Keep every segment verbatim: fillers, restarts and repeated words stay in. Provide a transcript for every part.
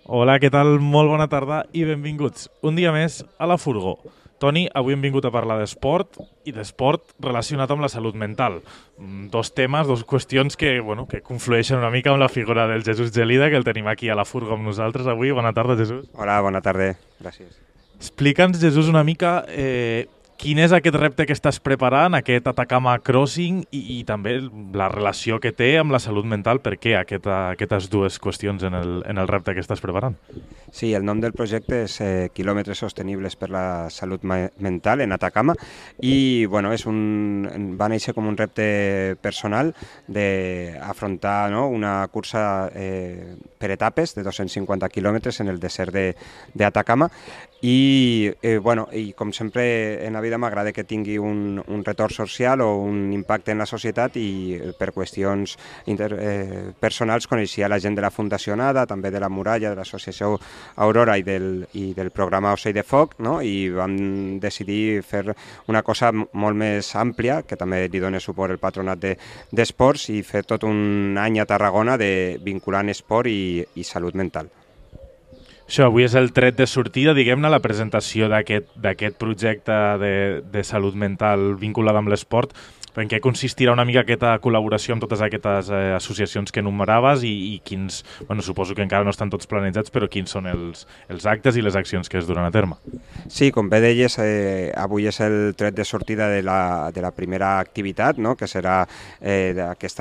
Hola, què tal? Molt bona tarda i benvinguts un dia més a la Furgó. Toni, avui hem vingut a parlar d'esport i d'esport relacionat amb la salut mental. Mm, Dos temes, dos qüestions que, bueno, que conflueixen una mica amb la figura del Jesús Gelida, que el tenim aquí a la Furgó amb nosaltres avui. Bona tarda, Jesús. Hola, bona tarda. Gràcies. Explica'ns, Jesús, una mica eh, quin és aquest repte que estàs preparant, aquest Atacama Crossing i, i també la relació que té amb la salut mental. Per què aquesta, aquestes dues qüestions en el, en el repte que estàs preparant? Sí, el nom del projecte és eh, Quilòmetres Sostenibles per la Salut Ma- Mental en Atacama i bueno, és un, va néixer com un repte personal d'afrontar, no, una cursa eh, per etapes de dos-cents cinquanta quilòmetres en el desert de- d'Atacama i, eh, bueno, i com sempre en la vida m'agrada que tingui un, un retorn social o un impacte en la societat i eh, per qüestions inter, eh, personals coneixia la gent de la Fundació Nada, també de la Muralla, de l'associació Aurora i del, i del programa Ocell de Foc, no? I vam decidir fer una cosa molt més àmplia, que també li dona suport el patronat de, d'esports, i fer tot un any a Tarragona de vinculant esport i, i salut mental. Això, avui és el tret de sortida, diguem-ne, la presentació d'aquest d'aquest projecte de, de salut mental vinculat amb l'esport. En què consistirà una mica aquesta col·laboració amb totes aquestes eh, associacions que enumeraves i, i quins, bueno, suposo que encara no estan tots planejats, però quins són els, els actes i les accions que es duran a terme? Sí, com bé deies, eh, avui és el tret de sortida de la, de la primera activitat, no? Que serà eh, aquest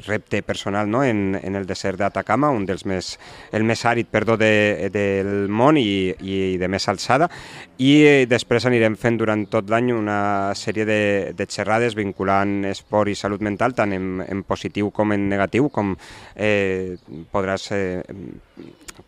repte personal, no? en, en el desert d'Atacama, un dels més, el més àrid, perdó, de, del món i, i de més alçada, i eh, després anirem fent durant tot l'any una sèrie de, de xerrades vinculant esport i salut mental, tant en, en positiu com en negatiu, com eh, podràs... Eh,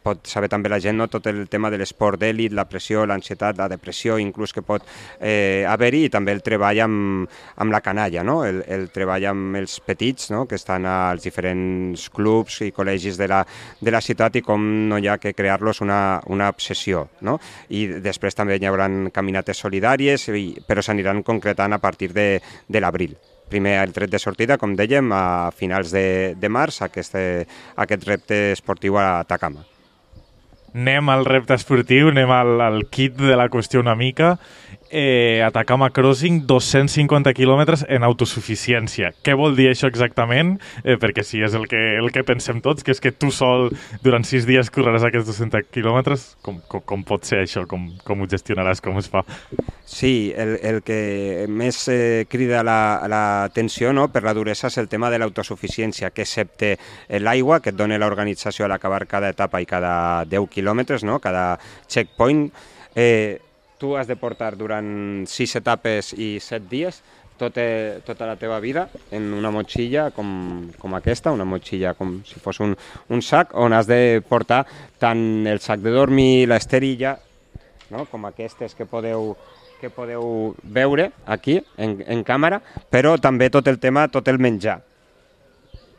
pot saber també la gent, no? Tot el tema de l'esport d'èlit, la pressió, l'ansietat, la depressió, inclús que pot eh, haver-hi, i també el treball amb, amb la canalla, no? el, el treball amb els petits, no? Que estan als diferents clubs i col·legis de la, de la ciutat i com no hi ha que crear-los una, una obsessió. No? I després també hi haurà caminates solidàries, i, però s'aniran concretant a partir de, de l'abril. Primer el tret de sortida, com dèiem, a finals de, de març, aquest, aquest repte esportiu a Atacama. Anem al repte esportiu, anem al, al kit de la qüestió una mica. Eh, Atacama Crossing, dos-cents cinquanta quilòmetres en autosuficiència. Què vol dir això exactament? Eh, perquè sí, és el que, el que pensem tots, que és que tu sol durant sis dies correràs aquests dos-cents quilòmetres. Com, com, com pot ser això? Com, com ho gestionaràs? Com es fa? Sí, el, el que més eh, crida l'atenció, no, per la duresa és el tema de l'autosuficiència, que excepte l'aigua que et dona l'organització a l'acabar cada etapa i cada deu quilòmetres, no, cada checkpoint, eh, tu has de portar durant sis etapes i set dies tota, tota la teva vida en una motxilla com, com aquesta, una motxilla com si fos un, un sac, on has de portar tant el sac de dormir, l'esterilla, no? Com aquestes que podeu, que podeu veure aquí en, en càmera, però també tot el tema, tot el menjar.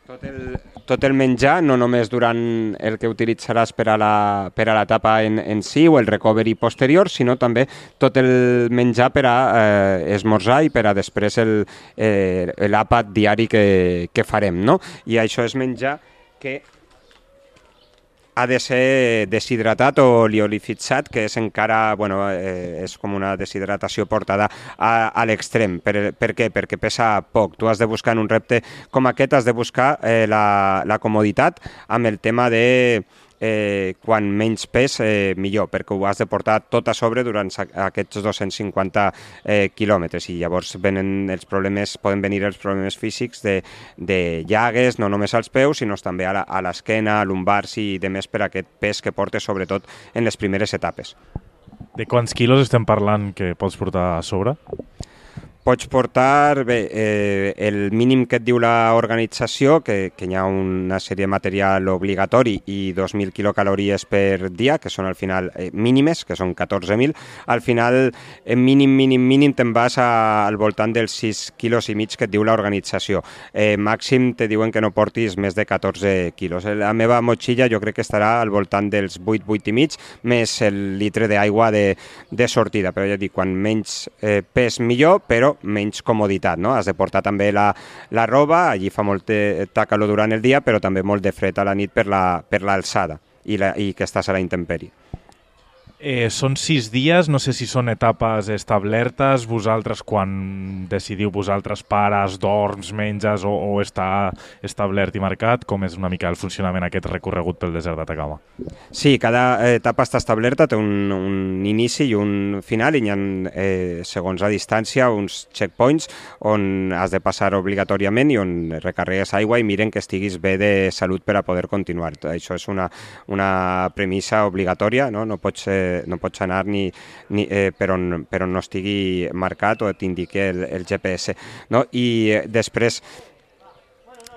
Tot el, tot el menjar, no només durant el que utilitzaràs per a la, per a l'etapa en, en si o el recovery posterior, sinó també tot el menjar per a eh, esmorzar i per a després el, eh, l'àpat diari que, que farem, no? I això és menjar que ha de ser deshidratat o liolifitzat, que és encara, bueno, eh, és com una deshidratació portada a, a l'extrem. Per, per què? Perquè pesa poc. Tu has de buscar en un repte com aquest, has de buscar eh, la, la comoditat amb el tema de eh, quan menys pes, eh, millor, perquè ho has de portar tot a sobre durant aquests dos-cents cinquanta eh, quilòmetres, i llavors venen els problemes, poden venir els problemes físics de, de llagues, no només als peus, sinó també a, la, a l'esquena, a lumbars i demés per aquest pes que portes, sobretot en les primeres etapes. De quants quilos estem parlant que pots portar a sobre? Pots portar bé, eh, el mínim que et diu l'organització, que, que hi ha una sèrie de material obligatori i dos mil quilocalories per dia, que són al final eh, mínimes, que són catorze mil. Al final, en mínim, mínim, mínim, te'n vas a, al voltant dels sis quilos i mig que et diu l'organització. Eh, màxim te diuen que no portis més de catorze quilos. La meva motxilla jo crec que estarà al voltant dels vuit, vuit i mig, més el litre d'aigua de, de sortida. Però ja dic, quan menys eh, pes millor, però menys comoditat, no? Has de portar també la, la roba, allí fa molta calor durant el dia, però també molt de fred a la nit per la, per l'alçada. i, la, i que estàs a la intempèrie. Eh, són sis dies, no sé si són etapes establertes, vosaltres quan decidiu vosaltres pares, dorms, menges o, o està establert i marcat, com és una mica el funcionament aquest recorregut pel desert d'Atacama? Sí, cada etapa està establerta, té un, un inici i un final i hi ha, eh, segons la distància, uns checkpoints on has de passar obligatòriament i on recarregues aigua i miren que estiguis bé de salut per a poder continuar. Això és una, una premissa obligatòria, no, no pots eh, no pots anar ni, ni eh, per, on, per on no estigui marcat o t'indiqui el, el G P S. No? I eh, després,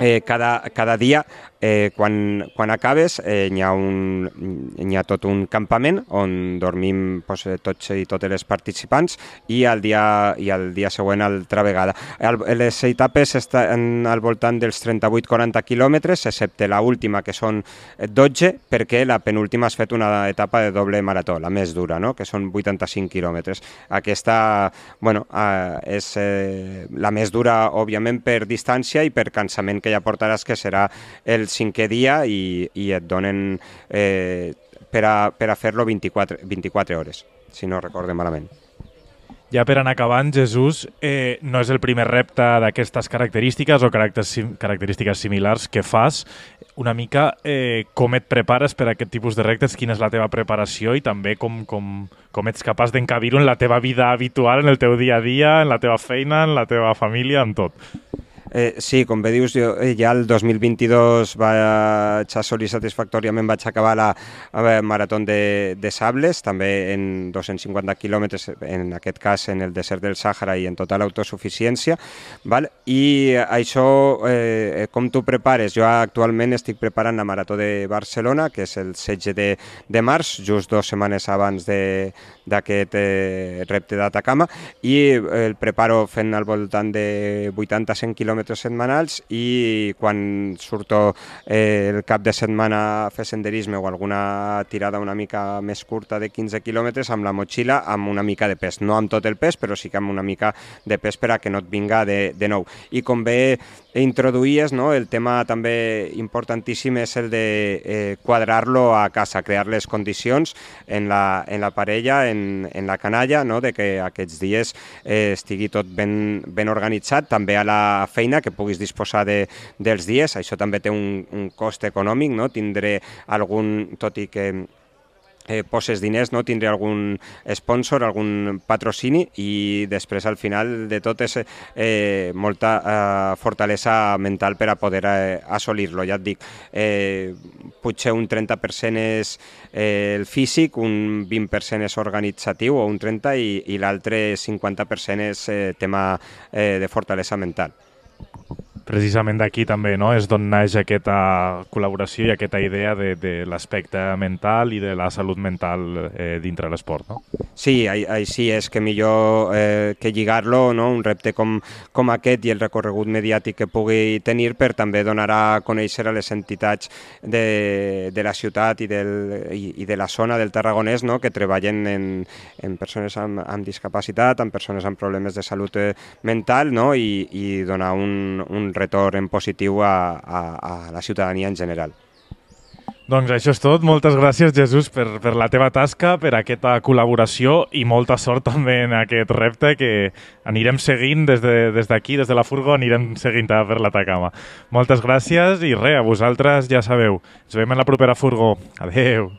eh, cada, cada dia, eh, quan, quan acabes, eh, hi, ha un, hi ha tot un campament on dormim pues, tots i totes les participants i al dia, i al dia següent altra vegada. El, les etapes estan al voltant dels trenta-vuit a quaranta quilòmetres, excepte la última, que són dotze, perquè la penúltima has fet una etapa de doble marató, la més dura, no? Que són vuitanta-cinc quilòmetres. Aquesta, bueno, eh, és eh, la més dura, òbviament, per distància i per cansament que ja portaràs, que serà el cinquè dia i, i et donen eh, per a, per a fer-lo vint-i-quatre, vint-i-quatre hores, si no recorde malament. Ja per anar acabant, Jesús, eh, no és el primer repte d'aquestes característiques o característiques similars que fas. Una mica eh, com et prepares per a aquest tipus de reptes, quina és la teva preparació i també com, com, com ets capaç d'encabir-ho en la teva vida habitual, en el teu dia a dia, en la teva feina, en la teva família, en tot. Eh, sí, com bé dius, jo ja el dos mil vint-i-dos vaig assolir satisfactòriament, vaig acabar la eh, marató de, de sables, també en dos-cents cinquanta quilòmetres, en aquest cas en el desert del Sàhara i en total autosuficiència, val? I això, eh, com tu prepares? Jo actualment estic preparant la marató de Barcelona, que és el setze de, de març, just dues setmanes abans d'aquest eh, repte d'Atacama, i el preparo fent al voltant de vuitanta a cent quilòmetres setmanals i quan surto eh, el cap de setmana a fer senderisme o alguna tirada una mica més curta de quinze quilòmetres amb la motxilla amb una mica de pes, no amb tot el pes però sí que amb una mica de pes per a que no et vinga de, de nou. I com bé introduïes, no, el tema també importantíssim és el de eh, quadrar-lo a casa, crear les condicions en la, en la parella, en, en la canalla, no, de que aquests dies eh, estigui tot ben, ben organitzat, també a la feina que puguis disposar de, dels dies. Això també té un, un cost econòmic, no? Tindré algun, tot i que eh, poses diners, no? Tindré algun sponsor, algun patrocini i després al final de tot és eh, molta eh, fortalesa mental per a poder eh, assolir-lo. Ja et dic, eh, potser un trenta per cent és eh, el físic, un vint per cent és organitzatiu o un trenta per cent i, i l'altre cinquanta per cent és eh, tema eh, de fortalesa mental. Precisament d'aquí també, no?, és d'on naix aquesta col·laboració i aquesta idea de, de l'aspecte mental i de la salut mental eh, dintre l'esport, no? Sí, així és que millor eh, que lligar-lo, no?, un repte com, com aquest i el recorregut mediàtic que pugui tenir per també donar a conèixer a les entitats de, de la ciutat i, del, i, i de la zona del Tarragonès, no?, que treballen en, en persones amb, amb discapacitat, amb persones amb problemes de salut eh, mental, no?, i, i donar un, un retorn en positiu a, a, a la ciutadania en general. Doncs això és tot. Moltes gràcies, Jesús, per, per la teva tasca, per aquesta col·laboració i molta sort també en aquest repte que anirem seguint des de, des d'aquí, des de la furgo, anirem seguint per l'Atacama. Moltes gràcies i res, a vosaltres ja sabeu. Ens veiem en la propera furgo. Adeu.